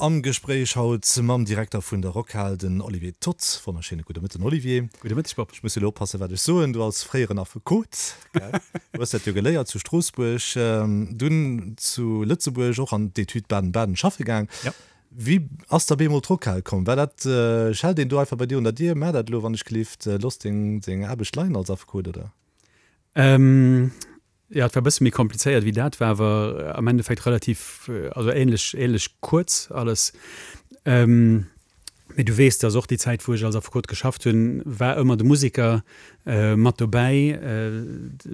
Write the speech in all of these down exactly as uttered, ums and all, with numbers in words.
Am Gespréich haut mam Direkter vun der Rockhal, den Olivier Toth. Wonnerschéine gudde Mëtten, Olivier. Gudde Mëtteg, Bob. Ech muss elo oppassen, wat ech soen. Du als fréieren Affekot, gell, du hues dat jo geléiert zu Stroossbuerg, dunn zu Lëtzebuerg och an d'Etüd Baden-Baden schaffe gaang. Ja. Wéi ass da bemol d'Rockhal komm? War dat, schellt een do einfach bei dir un der Dier, Maach dat elo, wann ech gelift, looss deng, deng Aarbecht leien als Affekot, oder? Ähm, Jo, et war e bësse méi komplizéiert wéi dat, war awer am Endeffekt relativ, also ähnlech, ähnlech kuerz alles. Mee du weess, dass och déi Zäit, wou ech als Affekot geschafft hunn, war ëmmer de Museker mat dobäi.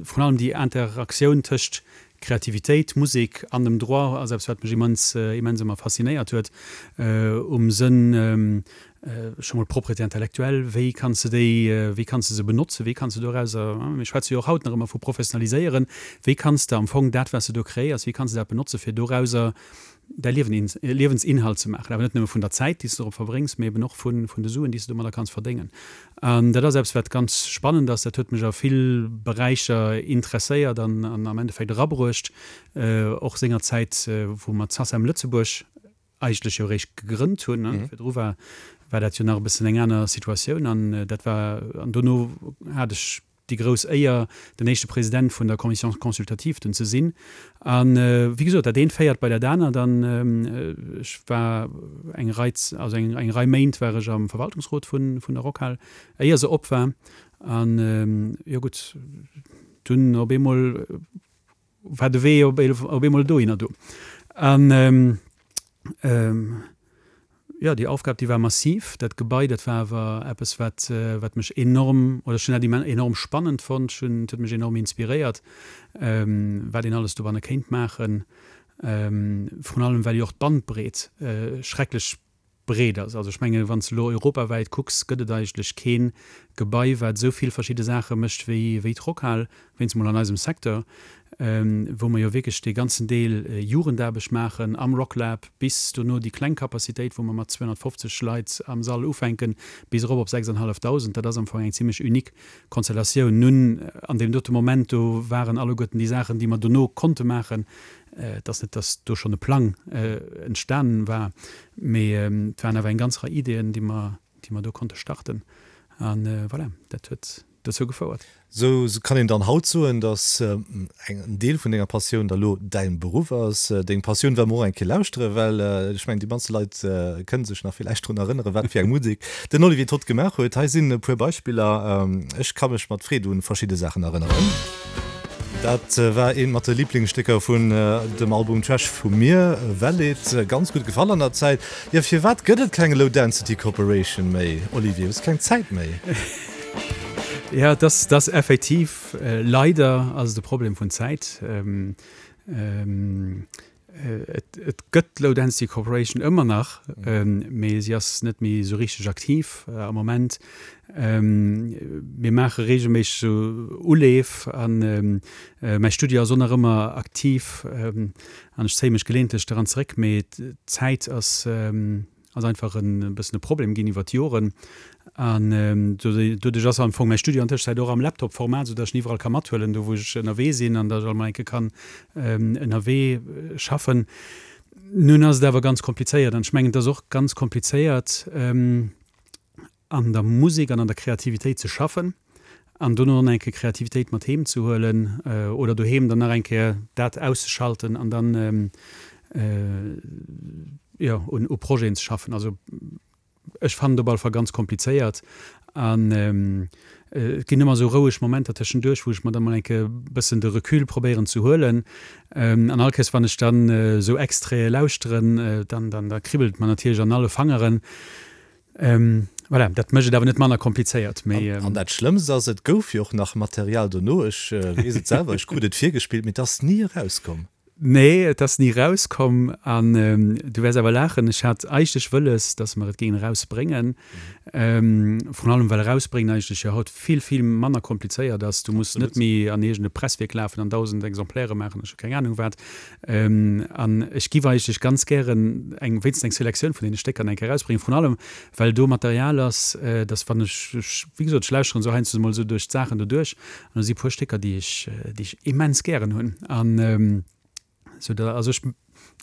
Vrun allem déi Interaktioun tëscht Kreativitéit, Musek an dem Droit ass eppes, wat mech immens, immens ëmmer faszinéiert huet, um Sënn, Scho mol d'Propriété intellectuelle, wéi kanns de déi, wéi kanns de se benotzen, wéi kanns de dorauser, mir schwätze jo och haut nach ëmmer vu professionaliséieren, wéi kanns de am Fong dat, wat s de do kreéiers, wéi kanns de dat benotzen, fir dorauser däi Liewen, Liewensinhalt ze maachen, awer net nëmme vun der Zäit, déi s de dorop verbréngs, mee eben och vun, vun de Suen, déi s de domadder kanns verdéngen. An dat ass eppes, wat ganz spannend ass. Dat huet mech a vill Beräicher interesséiert an, an am Endeffekt erabruecht, och sengerzäit, wou mer d'SACEM Lëtzebuerg eigentlech jo eréischt gegrënnt hunn. Virdru war, war dat jo nach e bëssen eng aner Situatioun an dat war, an dono hat ech déi grouss Éier, den éischte President vun der Commission consultative dunn ze sinn. A wéi gesot, dat eent féiert bei dat anert an ech war eng Rei, also eng, eng Rei Méint war ech am Verwaltungsrot vun, vun der Rockhal, éier se op war. An jo gutt, dunn op eemol war de Wee op eemol dohinner do. An jo, déi Aufgab, déi war massiv. Dat Gebai, dat war awer eppes, wat, wat mech enorm, oder ech hunn dat enorm spannend fonnt. Ech hunn, et huet mech enorm inspiréiert, wat een alles dobanne kéint maachen. Vrun allem, well jo och d'Bandbreet schrecklech breet ass. Also ech mengen, wann s de elo europawäit kucks, gëtt et eigentlech kee Gebai, wat esou vill verschidde Saache mécht wéi wéi d'Rockhal, wéinst emol an eisem Secteur, wou mer jo wierklech dee ganzen Deel Jugendaarbecht maachen am Rocklab bis dono déi kleng Capacitéit, wou mer mat zweehonnertfofzeg Leit am Sall ufänken, bis erop op sechsanenhallefdausend. Dat ass am Fong eng zimlech unique Konstellatioun. Nun, an deem dote Moment do waren alleguerten déi Saachen, déi mer dono konnte maachen, Et ass net, datt do schonn e Plang entstanen war, mee et waren awer eng ganz Rei Ideeën, déi mer, déi mer do konnte starten. A voilà, dat huet dozou gefouert. Sou kann een dann haut soen, datt en Deel vun denger Passioun da lo däin Beruff ass. Deng Passioun well mer och eng Kéier lauschteren, well ech mengen, déi mannste Leit kënne sech nach villäicht drun erënneren, wat fir eng Musek den Olivier Toth gemaach huet. Hei sinn e puer Beispiller. Ech ka mech mat Freed un verschidde Saachen erënneren. Dat war eent mat de Liblingsstécker vun dem Album Trash vu mir, well et ganz gutt gefall an der Zäit. Jo, firwat gëtt et keng Low Density Corporation méi, Olivier? Hues keng Zäit méi? Jo, et ass, et ass effektiv, leider ass et e Problem vun Zäit. Et gëtt d'Low Density Corporation ëmmer nach, mee si ass net méi esou richteg aktiv am Moment. Mir maache reegelméisseg esou Uleef an mäi Studio ass och nach ëmmer aktiv an ech zéie mech geleeëntlech dran zeréck, mee d'Zäit ass ass einfach e bëssen e Problem ginn iwwer d'Joren. An doduerch ass am Fong mäi Studio an Tëschenzäit och am Laptop-Format, esou datt ech en iwwerall ka mathuelen, do wou ech ënnerwee sinn an datt ech alt mol eng Kéier kann ënnerwee schaffen. Nun ass et awer ganz komplizéiert an ech mengen, et ass och ganz komplizéiert, an der Musek an an der Kreativitéit ze schaffen an dono nach eng Kéier Kreativitéit mat heem ze huelen oder doheem dann nach eng Kéier dat auszeschalten an dann jo un u Projeten ze schaffen. Also ech fannen et op alle Fall ganz komplizéiert an et ginn ëmmer esou roueg Momenter tëschenduerch, wou ech mer da mol eng Kéier e bëssen de Recul probéieren ze huelen. An all Kéiers wann ech dann esou Extraite lauschteren, dann dann da kribbelt et mer natierlech an alle Fangeren. Voilà, dat mécht et awer net manner komplizéiert, mee. An dat Schlëmmst ass, et gouf jo och nach Material dono. Ech weess et selwer, ech krut et virgespillt, mee et ass ni erauskomm. Nee, et ass ni erauskomm. An du wäers awer laachen, ech hat eigentlech wëlles, dass mer et géingen erausbréngen. Vrun allem, well erausbréngen eigentlech jo haut vill, vill manner komplizéiert ass. Du muss net méi an iergend e Presswierk lafen an dausend Exemplaire maachen, ech hu keng Anung wat. An ech giff eigentlech ganz gären eng, wéinstens eng Selektioun vun deene Stécker eng Kéier erausbréngen, vrun allem well do Material ass, dass wann ech, ech, wéi gesot, ech lauschteren esou heiansdo emol esou duerch d'Saachen doduerch an do si puer Stécker, déi ech, déi ech immens gären hunn. An esou da, also ech,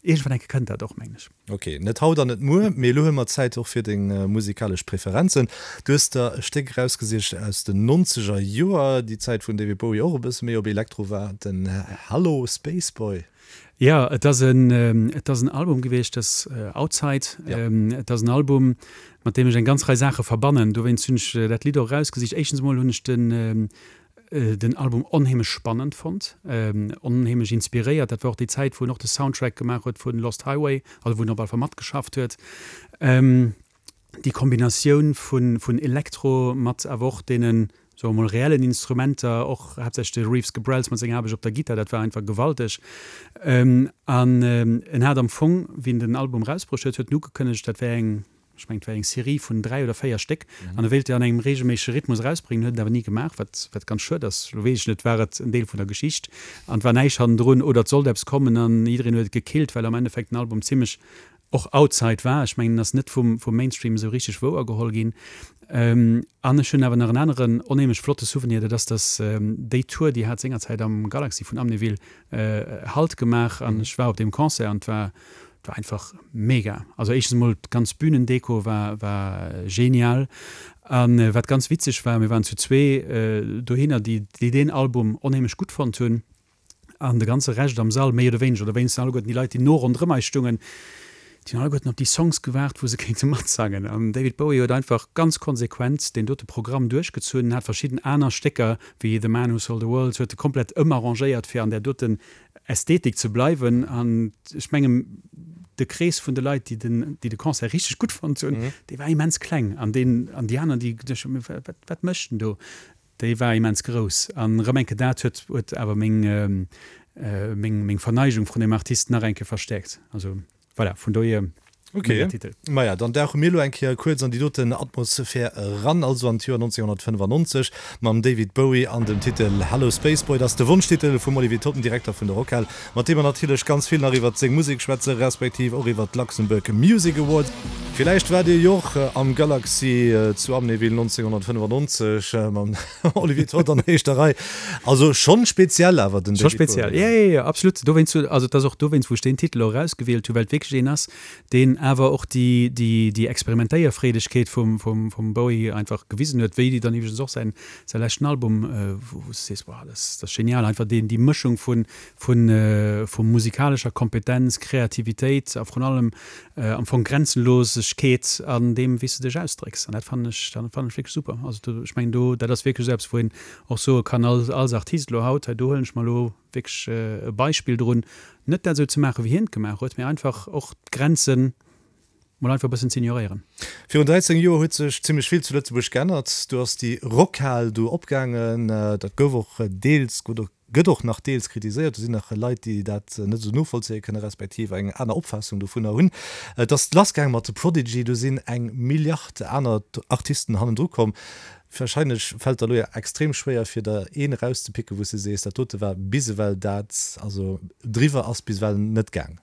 Iergendwann eng Kéier kënnt dat och, mengen ech. Ok, net haut an net muer, mee elo hu mer Zäit och fir deng musikalesch Preferenzen. Du hues der e Stéck erausgesicht aus den nonzeger Joer, déi Zäit wou den David Bowie och e bësse méi op Elektro war, den Hallo Spaceboy. Jo, et ass en, et ass en Album gewiescht, dat ass Outside. Et ass en Album, mat deem ech eng ganz Rei Saache verbannen. Dowéinst hunn ech dat Lidd och erausgesicht. Éischtens emol hunn ech den, den Album onheemlech spannend fonnt, onheemlech inspiréiert. Dat war och déi Zäit, wou en och de Soundtrack gemaach huet vu Lost Highway, also wou en op alle Fall matgeschafft huet. Déi Kombinatioun vun Elektro mat awer och deenen, soe mer mol, reellen Instrumenter, och haaptsächlech de Reeves Gabrels mat senger Aarbecht op der Gittar, dat war einfach gewalteg. An en hat am Fong, wéi en den Album erausbruecht huet, huet en ugekënnegt, dat wär eng, Ech mengen, et war eng Serie vun dräi oder véier Stéck an e wéilt déi an engem reegelméissege Rhythmus erausbréngen, huet et awer ni gemaach, wat, wat ganz schued ass. Lo weess ech net, war et en Deel vun der Geschicht an et war näischt hannendrun oder et sollt eppes kommen an jiddereen huet et gekillt, well am Endeffekt den Album zimmlech och outside war. Ech mengen, en ass net vum, vum Mainstream esou richteg wouergeholl ginn. An ech hunn awer nach en aneren onheemlech flotte Souvenir, dat ass, dass déi Tour, déi hat sengerzäit am Galaxy vun Amnéville Halt gemaach an ech war op deem Concert an et war, War einfach mega. Also éischtens mol d'ganz Bühnendeko war war genial an wat ganz witzeg war, mir waren zu zwee dohinner déi déi deen Album onheemlech gutt fonnt hunn an de ganze Rescht am Sall méi oder wéineger oder wéinstens alleguerten déi Leit déi no ronderëm eis stungen, déi hunn alleguerten op déi Songs gewaart wou se kéinte matsangen an David Bowie huet einfach ganz konsequent deen dote Programm duerchgezunn, hat verschidden aner Stécker wéi The Man Who Sold the World huet e komplett ëmarrangéiert fir an där doten Ästhetik ze bleiwen an ech mengen de Krees vun de Leit déi den déi de Concert richteg gutt fonnt hunn, dee war immens kleng an deen an déi aner déi geduecht hunn, wat wat mécht en do, déi war immens grouss an erëm eng Kéier dat huet huet awer meng meng meng Verneigung vrun deem Artist nach eng Kéier verstäerkt. Also voilà, vun dohier. Ok, maja, dann dauche mir elo eng Kéier kuerz an déi doten Atmosphär eran, also an d'Joer nonzénhunnertfënnefannonzeg mam David Bowie an dem Titel Hallo Spaceboy. Dat ass de Wonschtitel vum Olivier Toth, dem Direkter vun der Rockhal, mat deem mer natierlech ganz vill nach iwwert seng Musek schwätze respektiv och iwwert d'Luxembourg Music Awards. Villäicht waart Dir jo och am Galaxy zu Amnéville nonzénhunnertfënnefannonzeg mam Olivier Toth an éischter Rei. Also schonn speziell awer den Scho David Bowie. speziell, jo, jo, jo, absolut. Dowéinst, also et ass och dowéinst, wou ech deen Titel och erausgewielt hunn, well et wierklech een ass, deen awer och déi, déi, déi Experimentéierfreedegkeet vum, vum, vum Bowie einfach gewisen huet, wéi dann iwwregens och säin, säi leschten Album, wou, wou s de sees, wow, dat ass, dat ass genial, einfach deen, déi Mëschung vun, vun, vu musikalescher Kompetenz, Kreativitéit a vrun allem am Fong Grenzenlosegkeet an deem, wéi s de dech ausdrécks. An dat fannen ech, dat fannen ech wierklech super. Also do, ech mengen do, dat ass wierklech esou eppes, wou een och soe kann als, als Artist elo haut, hei do huelen ech mer elo wierklech e Beispill drun, net dat esou ze maachen, wéi hien et gemaach huet, mee einfach och d'Grenzen mol einfach e bëssen z'ignoréieren. Virun dräizéng Joer huet sech zimmlech vill zu Lëtzebuerg geännert. Do ass déi Rockhal do opgaangen. Dat gouf och deels oder gëtt och nach deels kritiséiert. Do sinn nach Leit, déi dat net esou novollzéie kënne respektiv eng aner Opfaassung dovunner hunn. Et ass lassgaange mat The Prodigy. Do sinn eng Milliard aner Artisten hannendru komm. Wahrscheinlech fällt der elo jo extrem schwéier fir der een erauszepicken wou s de sees, dat dote war bis ewell dat, also driwwer ass bis ewell net gaang.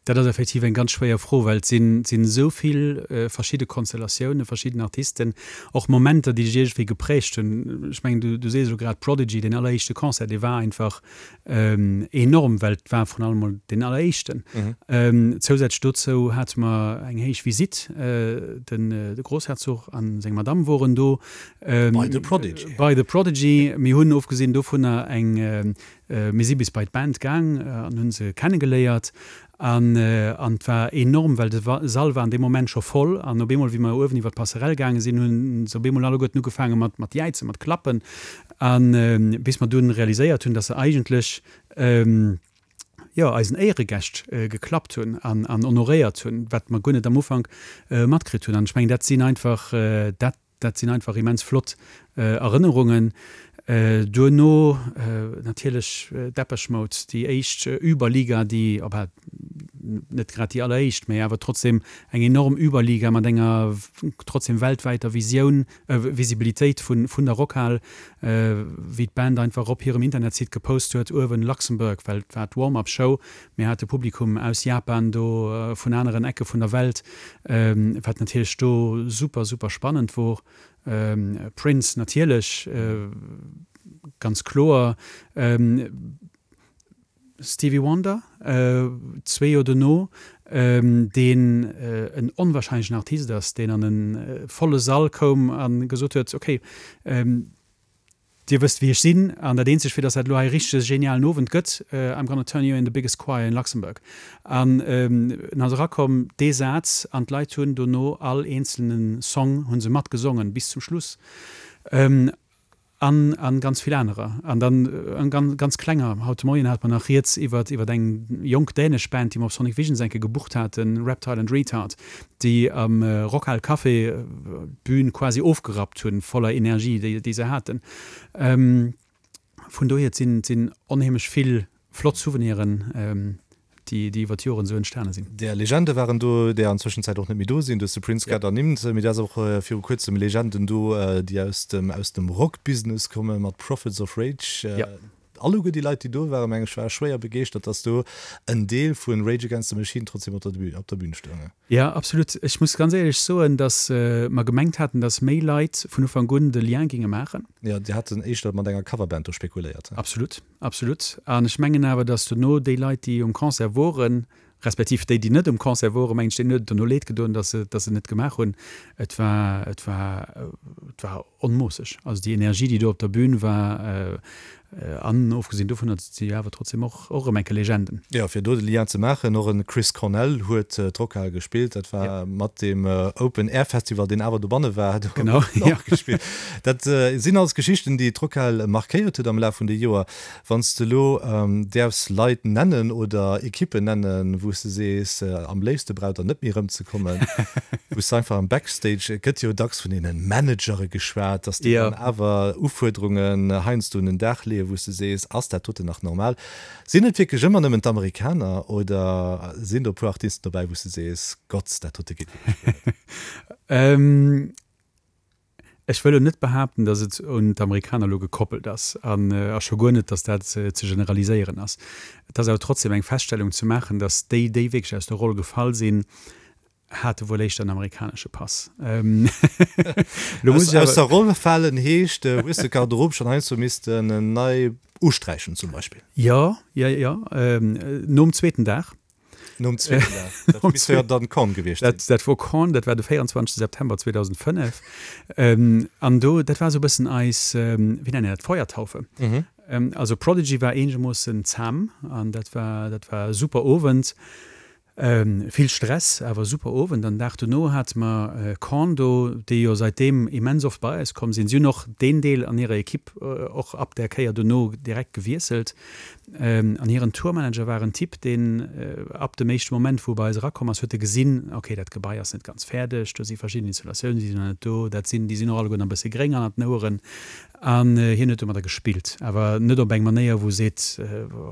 Dat ass effektiv eng ganz schwéier Fro, well et sinn sinn esou vill verschidde Konstellatiounen, verschidden Artisten, och Momenter déi dech iergendwéi geprägt hunn. Ech mengen du du sees elo grad Prodigy, deen alleréischte Concert, dee war einfach enorm, well et war vrun allem mol deen alleréischten. Zousätzlech dozou hate mer eng héich Visitt, den de Groussherzog a seng Madamm woren do. Bei The Prodigy. Bei The Prodigy. Mir hunn ofgesinn dovunner eng, mir si bis bei d'Band gaang an hunn se kennegeléiert. An et war enorm, well de Sall war an deem Moment scho voll. An op eemol, wéi mer uewen iwwer d'Passerelle gaange sinn, hu se op eemol alleguerten ugefaange mat mat jäizen, mat klappen. A bis mer dunn realiséiert hunn, dass se eigentlech, jo, eisen Éieregäscht geklappt hunn an an honoréiert hunn, wat mer guer net am Ufank matkritt hunn. An ech mengen, dat sinn einfach, dat Dat sinn einfach immens flott Erënnerungen. Duerno natierlech Depeche Mode, déi éischt Überliga, déi, enfin net grad déi alleréischt, mä awer trotzdem eng enorm Überliga mat enger trotzdem weltwäiter Visioun, Visibilitéit vun der Rockhal, wéi d'Band einfach op hirem Internetsite gepost huet, uewen Luxembourg, well et war d'Warm-up Show, mir hate Publikum aus Japan do, vun aneren Ecke vun der Welt, wat natierlech do super, super spannend wor. Prince natierlech, ganz kloer. Stevie Wonder, zwee Joer dono, deen en onwahrscheinlechen Artist ass, deen an e volle Sall koum a gesot huet, Okay, Dir wësst wéi ech sinn, an dat eenzegt fir datt dat elo hei e richtege genialen Owend gëtt, I'm gonna turn you in the biggest choir in Luxembourg. An en ass erakomm, dee Saz, an d'Leit hunn dono all eenzelne Song hu se matgesongen bis zum Schluss. An a ganz vill anerer. An dann en ganz klenger, haut de Moien hate mer nach rieds iwwer iwwer eng jonk dänesch Band, déi mer op Sonic Visions eng Kéier gebucht haten, Reptile and Retard, déi am Rockhal Café d'Bün quasi ofgerappt hunn, voller Energie, déi déi se haten. Vun dohier, et sinn et sinn onheemlech vill flott Souveniren, déi déi iwwer d'Joren esou entstane sinn. Där Legende waren do, där an Zwëschenzäit och net méi do sinn. Du hues de Prince grad ernimmt, mee du has och viru kuerzem Legenden do, déi aus dem aus dem Rockbusiness kommen, mat Prophets of Rage. Ja. Alleguer déi Leit, déi do waren, meng ech, ware schwéier begeeschtert, dass do en Deel vu Rage Against the Machine trotzdem op der Bühn, op der Bühn stoungen. Ja, absolut. Ech muss ganz éierlech soen, dass mer gemengt haten, dass méi Leit vun Ufank un de Lien géinge maachen. Jo, Dir haten éischter mat enger Coverband do spekuléiert. Absolut, absolut. An ech mengen awer, dass dono déi Leit, déi um Concert woren, respektiv déi, déi net um Concert woren, mengen ech, deenen huet et dono leed gedoen, dass se, dass se et net gemaach hunn. Et war, et war, et war onmoosseg. Also déi Energie, déi do op der Bühn war, an ofgesinn dovunner si jo awer trotzdem och och erëm enke Legenden. Jo, fir do de Lien ze maachen, och e Chris Cornell huet d'Rockhal gespillt. Dat war mat deem Open Air Festival, deen awer dobanne war, do Genau, huet en och gespillt. Dat sinn alles Geschichten, déi d'Rockhal markéiert huet am Laf vun de Joer. Wann s de elo däerfs Leit nennen oder Ekippen nennen, wou s de sees, am léifste braucht der net méi erëmzekommen, wou s de einfach am Backstage, et gëtt jo dacks vun deene Managere geschwat, dass déi dann awer Ufuerderungen heiansdo un den Dag leeën, wou s de sees, ass dat doten nach normal? Sinn et wierklech ëmmer nëmmen d'Amerikaner oder sinn do e puer Artisten dobäi, wou s de sees, Gott, dat dote geet wierklech guer net? Ech wëll elo net behaapten, datt et un d'Amerikaner elo gekoppelt ass an a scho guer net, datt dat ze generaliséieren ass. Et ass awer trotzdem eng Feststellung ze maachen, datt déi, déi wierklech aus der Roll gefall sinn, hate wuel éischter en amerikanesche Pass. Lo muss ech awer. Aus der Roll falen heescht, hues de d'Garderobe schonn heiansdo missten nei usträichen zum Beispill? Jo, jo, jo, nom zweeten Dag. Nom zweeten Dag, dat misst jo dann Korn gewiescht sinn. Dat wor Korn, dat war de véierundzwanzegste September zweedausendfënnef. An do, dat war esou e bëssen eis, wéi nennt een dat, Feuertaufe. Also Prodigy war eenegermoossen zam an dat war, dat war e super Owend. Vill Stress, awer super Owend. An den Dag dono hate mer Korn do, déi jo säitdeem immens oft bei eis komm sinn. Si hunn och deen Deel an hirer Ekipp och ab där Kéier dono direkt gewiesselt. An hiren Tourmanager war en Typ, deen ab dem éischte Moment, wou e bei eis erakomm ass, huet e gesinn, ok, dat Gebai ass net ganz fäerdeg, do si verschidden Installatiounen, déi sinn nach net do, dat sinn, déi sinn och alleguer nach e bësse gréng hannert den Oueren. An hien huet domadder gespillt, awer net op eng Manéier, wou e seet,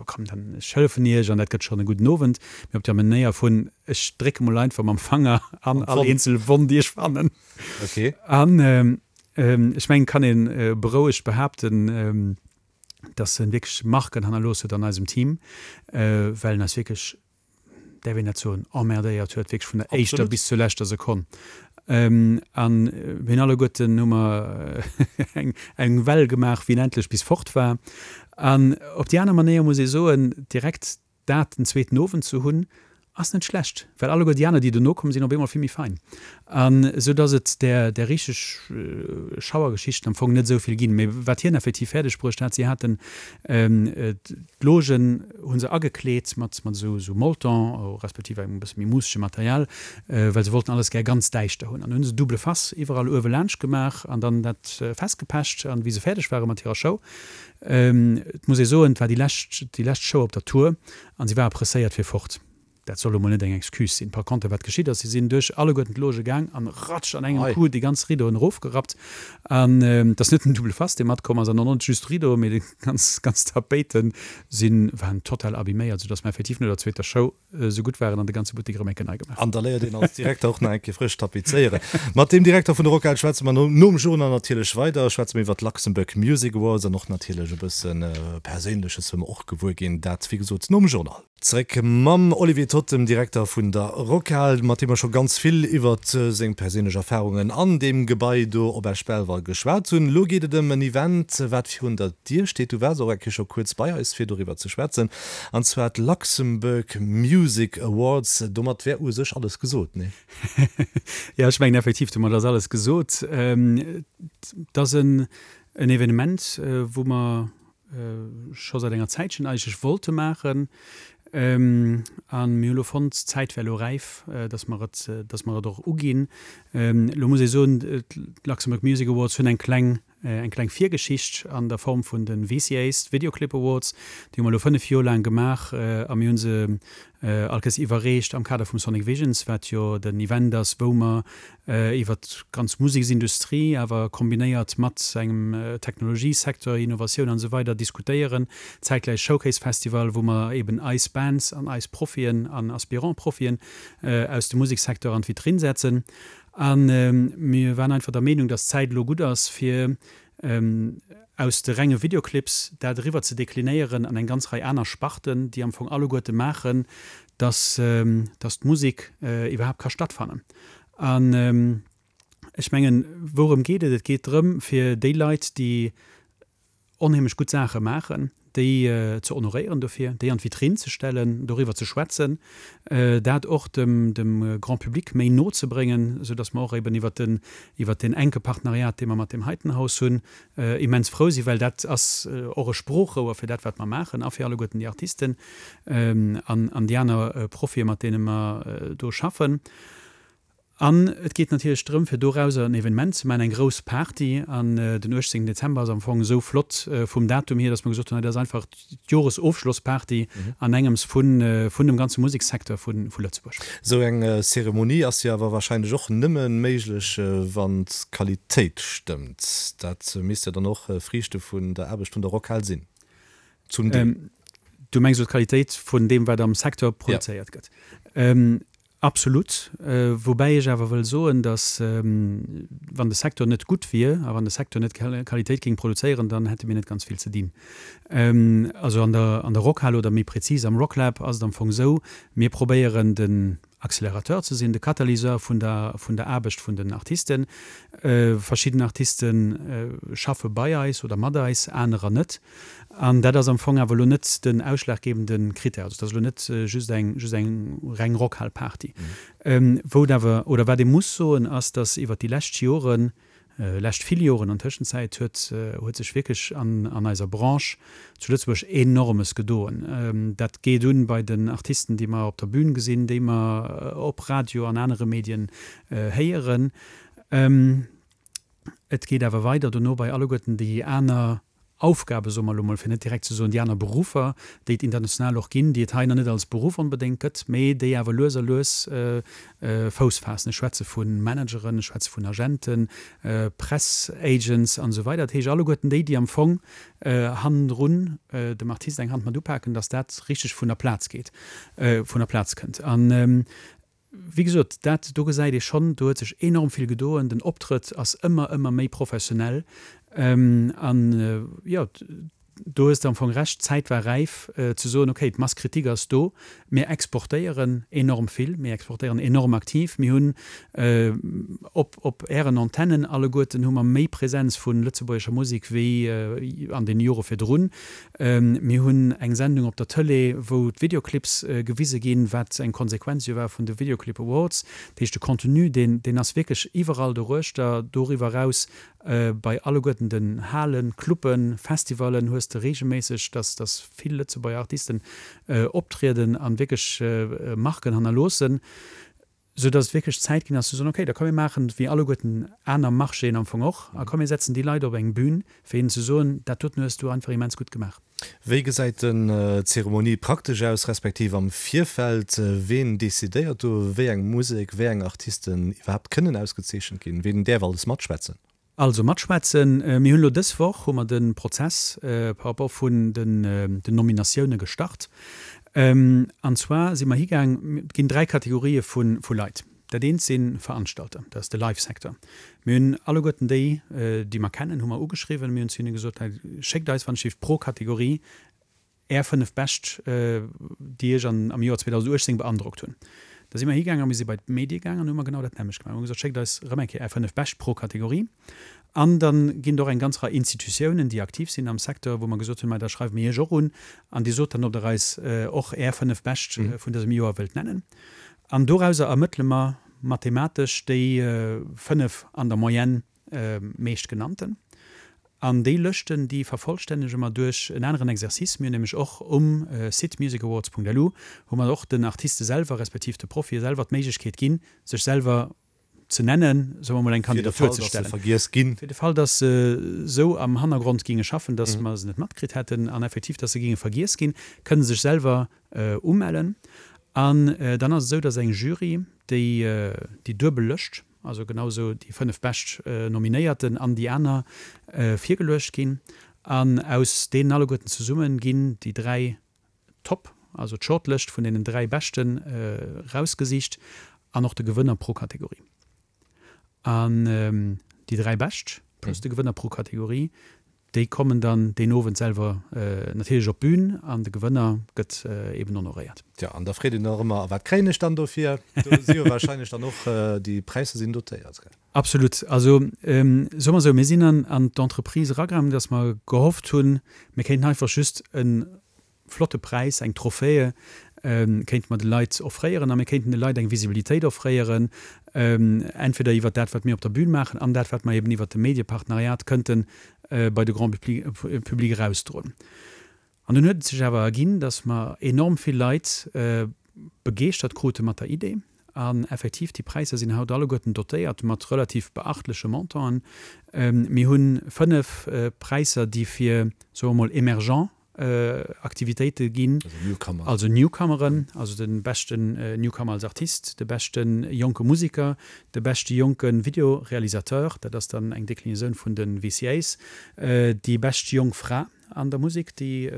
komm, dann ech hëllefen iech an dat gëtt schonn e gudden Owend, mee op der Manéier vun, ech drécke mol einfach mam Fanger an all eenzel Wonn, déi ech fannen. An ech mengen, kann ee berouegt behaapten, dass en wierklech Marken hannerlooss huet an eisem Team, well en eis wierklech, däerf een dat soen, emmerdéiert huet, wierklech vun der éischter bis zur leschter Sekonn. An mir hunn alleguerten hu mer eng eng Well gemaach, wéi en endlech bis fort war. An op déi aner Manéier muss ee soen, direkt dat den zweeten Owend ze hunn, Ass net schlecht, well alleguer déi aner, déi dono komm sinn, op eemol vill méi fein. An esou dass et där, där richteg Schauergeschichten am Fong net esou vill ginn. Mee wat hien effektiv fäerdeg bruecht hat, si haten d'Logen hu se agekleet mat, mat esou, esou Molton, respektiv engem e bësse méi muussege Material, well se wollten alles gär ganz däischter hunn. An hunn se double face iwwerall uewe laanscht gemaach an dann dat festgepecht. An wéi se fäerdeg ware mat hirer Show, et muss ee soen, et war déi lescht, déi lescht Show op der Tour an si ware presséiert fir fort. Dat soll elo mol net eng Excuse sinn. Par contre, wat geschitt ass, si sinn duerch alleguerten d'Loge gaang an ratsch an engem Coup déi ganz Rideauen erofgerappt. An et ass net den Double Face, dee matkomm ass, an och net just d'Rideauen, mee déi ganz, ganz Tapéite sinn, waren total abiméiert, soudass mer effektiv no der zweeter Show esou gutt waren an de ganze Buttek erëm eng Kéier nei gemaach An da léiert een als Direkter och nach eng Kéier frësch tapezéieren. Mat deem Direkter vun der Rockhal schwätze mer nom Journal natierlech weider, schwätze mer iwwer d'Luxembourg Music Awards an och natierlech e bësse Perséinleches wëlle mer och gewuer ginn. Dat, wéi gesot, nom Journal. Zeréck mam Olivier Toth, dem Direkter vun der Rockhal, mat deem mer scho ganz vill iwwert seng perséinlech Erfarungen an deem Gebai do op Esch-Belval geschwat hunn. Elo geet et ëm en Event, wat virun der Dier steet. Du waars och eng Kéier scho kuerz bei eis, fir doriwwer ze schwätzen, an zwar d'Luxembourg Music Awards. Domat wär u sech alles gesot, nee? Jo, ech mengen effektiv, domat ass alles gesot. Et ass en Evenement, wou mer scho säit enger Zäitchen eigentlech wollte maachen. A mir hu lo fonnt, d'Zäit wär elo räif, dass mer et, dass mer et och uginn. Elo muss ee soen, d'Luxembourg Music Awards hunn eng kleng, eng kleng Virgeschicht an der Form vun de V C As, Video Clip Awards. Déi hu mer elo fënnef Joer laang gemaach a mir hu se all Kéiers iwwerreecht am Kader vum Sonic Visions, wat jo den Event ass, wou mer iwwer d'ganz Museksindustrie, awer kombinéiert mat engem Technologiesecteur, Innovatioun an esou weider diskutéieren. Zäitgläich Showcase Festival, wou mer eben eis Bands an eis Profien an Aspirant-Profien aus dem Musekssecteur an d'Vitrinn setzen. A mir waren einfach der Meenung, dass d'Zäit elo gutt ass, fir aus de renge Videoclips dat eriwwer ze deklinéieren an eng ganz Rei aner Sparten, déi am Fong alleguerte maachen, dass, dass d'Musek iwwerhaapt ka stattfannen. An ech mengen, wourëm geet et? Et geet drëm, fir déi Leit, déi onheemlech gutt Saache maachen, déi ze honoréieren dofir, déi an d'Vitrinn ze stellen, doriwwer ze schwätzen, dat och dem dem Grand public méi no ze bréngen, esou datt mer och eben iwwert den iwwert deen enke Partenariat, dee mer mat dem heiten Haus hunn, immens frou sinn, well dat ass och e Sproochrouer fir dat, wat mer maachen a fir alleguerten déi Artisten an an déi aner Profie mat deene mer do schaffen. An et geet natierlech drëm, fir dorauser en Evenement ze maachen, eng grouss Party. An den uechtzéngten Dezember ass am Fong esou flott vum Datum hier, datt mer gesot hunn, hei dat ass einfach d'Joresofschlossparty an engems vun dem ganze Musekssecteur vu Lëtzebuerg. Esou eng Zeremonie ass jo awer warscheinlech och nëmme méiglech, wann d'Qualitéit stëmmt. Dat misst jo dann och Friichte vun der Aarbecht vun der Rockhal sinn, zum Deel. Du mengs elo d'Qualitéit vun deem, wat am Secteur produzéiert gëtt? Absolut. Woubäi ech awer wëll soen, datt, wann de Secteur net gutt wier a wann de Secteur net Qualitéit géing produzéieren, dann hätte mir net ganz vill ze dinn. Also an der, an der Rockhal oder méi prezis am Rocklab ass et am Fong esou, mir probéieren den Accélérateur ze sinn, de Catalyseur vun der, vun der Aarbecht vun den Artisten. Verschidden Artiste schaffe bei eis oder mat eis, anerer net. An dat ass am Fong awer elo net den ausschlaggebende Critère. Also et ass elo net just eng, just eng reng Rockhal-Party. Wou et awer, oder wat ee muss soen, ass, datt iwwert déi lescht Joren, lescht vill Joren an Tëschenzäit, huet, huet sech wierklech an, an eiser Branche zu Lëtzebuerg Enormes gedoen. Dat geet un bei den Artisten, déi mer op der Bühn gesinn, déi mer op Radio an anere Medien héieren. Et geet awer weider dono bei alleguerten déi aner Aufgabe, soe mer elo mol, fir net direkt ze soen déi aner Beruffer, déi et international och ginn, déi et hei nach net als Beruff onbedéngt gëtt, mee déi awer lues a lues Fouss faassen. Ech schwätze vu Manageren, ech schwätze vun Agenten, Press Agents an esou weider. Dat heescht alleguerten déi, déi am Fong hannendrun dem Artist eng Hand mat upaken, datt dat richteg vun der Plaz geet, vun der Plaz kënnt. An wéi gesot, dat do gesäit ee schonn, do huet sech enorm vill gedoen. Den Optrëtt ass ëmmer, ëmmer méi professionell. An, jo, do hues de am Fong Recht, d'Zäit war räif ze soen, okay, d'Masse critique ass do, mir exportéieren enorm vill, mir exportéieren enorm aktiv, mir hunn op, op Ären Antennen alleguerten hu mer méi Präsenz vu lëtzebuergescher Musek wéi an deene Jore virdrun. Mir hunn eng Sendung op der Tëlee, wou d'Videoclips gewise ginn, wat eng Konsequenz jo war vun de Videoclip Awards. Dat heescht, de Contenu, deen, deen ass wierklech iwwerall doruechter. Doriwwer eraus bei alleguerten den Halen, Cluben, Festivallen hues de reegelméisseg, dass, dass vill Lëtzebuerger Artisten optrieden an wierklech Marken hannerloossen. Sou dass et wierklech Zäit ginn ass ze soen, okay, da komm mir maachen et wéi alleguerten aner Marchéen am Fong och a komm mir setzen déi Leit op eng Bühn, fir hinnen ze soen, dat doten hues du einfach immens gutt gemaach. Wéi gesäit den d'Zeremonie praktesch aus, respektiv am Virfeld? Ween decidéiert do, wéi eng Musek, wéi eng Artisten iwwerhaapt kënnen ausgezeechent ginn? Ween däerf alles matschwätzen? Also matschwätzen, mir hunn elo dës Woch hu mer de Prozess par rapport vun den Nominatioune gestart. An zwar si mer higaang, et ginn dräi Kategorië vu Leit. Dat eent si Veranstalter, dat ass de Live-Secteur. Mir hunn alleguerten déi, déi mer kennen, hu mer ugeschriwwen. Mir hunn zu hinne gesot, schéckt eis wann ech pro Kategorie Är fënnef bescht, déi Iech an am Joer zweedausenduechtzéng beandrockt hunn. Da si mer higaangen a mir si bei d'Medie gaangen an hu mer genau dat nämmlecht gemaach. Mir hu gesot, Schéckt eis erëm eng Kéier Är fënnef bescht pro Kategorie. An da ginn et och eng ganz Rei Institutiounen, déi aktiv sinn am Secteur, wou mer gesot hunn, Mei, da schreiwe mir Iech och un an Dir sot dann, ob Der eis och Är fënnef bescht vun dësem Joer wëllt nennen. An dorauser ermëttele mer mathematesch déi fënnef an der Moyenne meescht genannten. An déi Lëschten, déi vervollstännege mer duerch en aneren Exercice. Mir hunn nämlech och um Site musicawards Punkt L U hu mer och den Artiste selwer, respektiv de Profie selwer d'Méiglechkeet ginn, sech selwer ze nennen, soe mer mol eng Fir de Kandidatur Fall, ze dass se stellen. vergiess ginn. Fir de Fall, dass se esou am Hannergrond ginge schaffen, dass mer se net matkritt hätten an effektiv, dass se ginge vergiess ginn, kënne se sech selwer umellen. An dann ass et esou, dass eng Jury, déi déi duebel Lëscht, also genau esou déi fënnef bescht Nominéierten an déi aner, virgeluecht ginn. An aus deenen alleguerten zesumme ginn déi dräi Top, also d'Shortlëscht vun deenen dräi Beschten erausgesicht an och de Gewënner pro Kategorie. An déi dräi Bescht plus de Gewënner pro Kategorie, déi kommen dann deen Owend selwer natierlech op d'Bün an de Gewënner gëtt eben honoréiert. Tja, an da freet een nach ëmmer, a wat kréien ech dann dofir? Do si jo wahrscheinlech dann och déi Präisser sinn dotéiert, gell? Absolut. Also soe mer esou, mir sinn an an d'Entreprise eragaangen, datt mer gehofft hunn, mir kéinten einfach just e flotte Präis, eng Trophäe kéinte mer de Leit offréieren a mir kéinten de Leit eng Visibilitéit offréieren, entweder iwwert dat, wat mir op der Bühn maachen an dat, wat mer eben iwwert de Mediepartenariat kënnte bei de Grand Public erausdroen. An dunn huet et sech awer erginn, datt mer enorm vill Leit begeeschtert krute mat der Idee. An effektiv, déi Präisser sinn haut alleguerten dotéiert mat relativ beachtleche Montanten. Mir hu fënnef Präisser, déi fir, soe mer mol, emergent Aktivitéite ginn, also Newcomeren, also de beschten Newcomer als Artist, de beschte jonke Museker, de beschte jonke Videorealisateur, dat ass dann eng Deklinasoun vun de V C As, déi bescht jonk Fra an der Musek, déi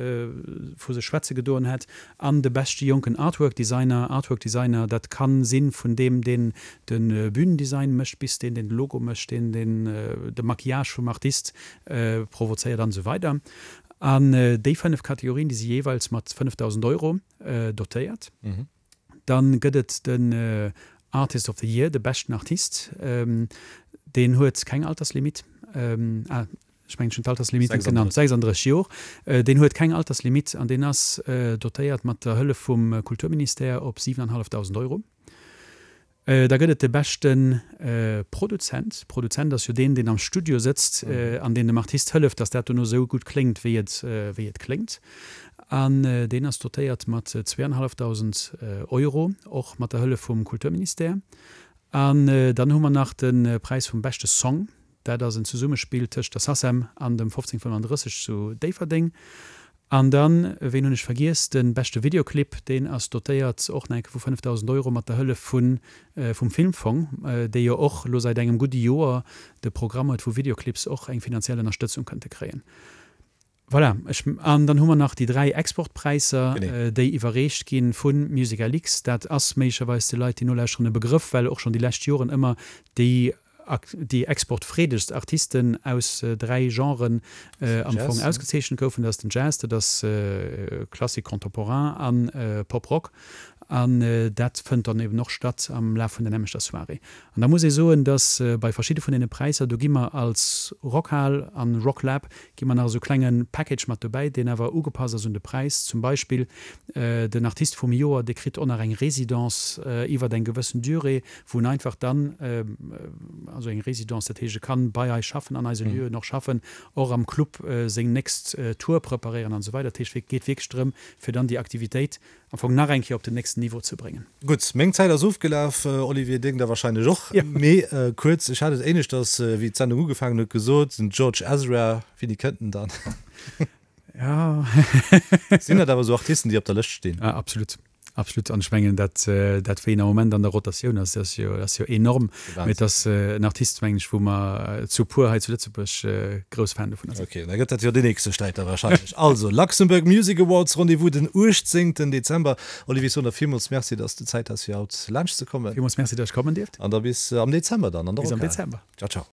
vu sech schwätze gedoen hätt, an de beschte jonken Artwork Designer. Artwork Designer, dat ka si vun deem, deen de Bühnendesign mécht, bis deen, deen de Logo mécht, deen, deen de Maquillage vum Artist provozéiert an esou weider. An déi fënnef Kategorien, déi si jeeweils mat fënnefdausend Euro dotéiert. Dann gëtt et den Artist of the Year, de beschten Artist, deen huet keng Alterslimitt, ah, ech mengen, ech hunn d'Alterslimitt net genannt, sechsanddrësseg Joer, deen huet keng Alterslimitt an deen ass dotéiert mat der Hëllef vum Kulturministère op siwenanhallefdausend Euro. Da gëtt et de beschte Produzent. Produzent ass jo deen, deen am Studio sëtzt an deen dem Artist hëlleft, datt dat dono esou gutt kléngt, wéi et, wéi et kléngt. An deen ass dotéiert mat zweeanhallefdausend Euro, och mat der Hëllef vum Kulturministère. An dann hu mer nach de Präis vum beschte Song. Dat ass en Zesummespill tëscht der SACEM an dem fofzéng fënnefandrësseg zu Déifferdeng. An dann, ween hunn ech vergiess, de beschte Videoclip, deen ass dotéiert och nach eng Kéier vu fënnefdausend Euro mat der Hëllef vu vum Filmfong, dee jo och elo säit engem gudde Joer de Programm huet, wou Videoclips och eng finanziell Ënnerstëtzung kënnte kréien. Voilà, ech, an dann hu mer nach déi dräi Exportpräisser, déi iwwerreecht gi vu MusicLX. Dat ass méiglecherweis de Leit, déi nolauschteren, e Begrëff, well och schonn déi lescht Joren ëmmer déi déi exportfreedegst Artisten aus dräi Genren am Fong ausgezeechent goufen, dat ass den Jazz, dat ass Classique contemporain an Pop-Rock. An dat fënnt dann eben och statt am Laf vun der nämmlechter Soirée. An da muss ee soen, dass bei verschidde vun deene Präisser, do gi mer als Rockhal an Rocklab gi mer nach esou klenge Package mat dobäi, deen awer ugepasst ass un de Präis. Zum Beispill den Artist vum Joer, dee kritt och nach eng Résidence iwwert eng gewëssen Durée, wou en einfach dann, also eng Résidence, dat heescht e kann bei eis schaffen, an eise Lieuen och schaffen, och am Club seng nächst Tour preparéieren an esou weider. Dat heescht, et geet wierklech drëm, fir dann déi Aktivitéit am Fong nach eng Kéier op den nächsten Niveau ze bréngen. Gutt, meng Zäit ass ofgelaf, Olivier, deng da wahrscheinlech och. Mee kuerz, ech hat et éineschters, wéi d'Sendung ugefaangen huet, gesot, den George Ezra, wéini kënnt en dann? Ja. Sinn dat awer esou Artisten, déi op der Lëscht stinn? Ah, absolut. Absolut. An ech mengen, dat, dat wéi en am Moment an der Rotatioun ass, dat ass jo, dat ass jo enorm. Mee et ass en Artist, mengen ech, wou mer zu puer hei zu Lëtzebuerg grouss Fan dovunner sinn. Ok, da gëtt dat jo deen nächste Sträit da wahrscheinlech. Also, Luxembourg Music Awards, Rendez-vous den uechtzéngten Dezember. Olivier Sonner, villmools Merci, dass du Zäit has fir haut laanscht ze kommen. Villmools Merci, dass ech kommen dierft. An da bis am Dezember dann an der Bis am Rockhal. Dezember. Ciao, ciao.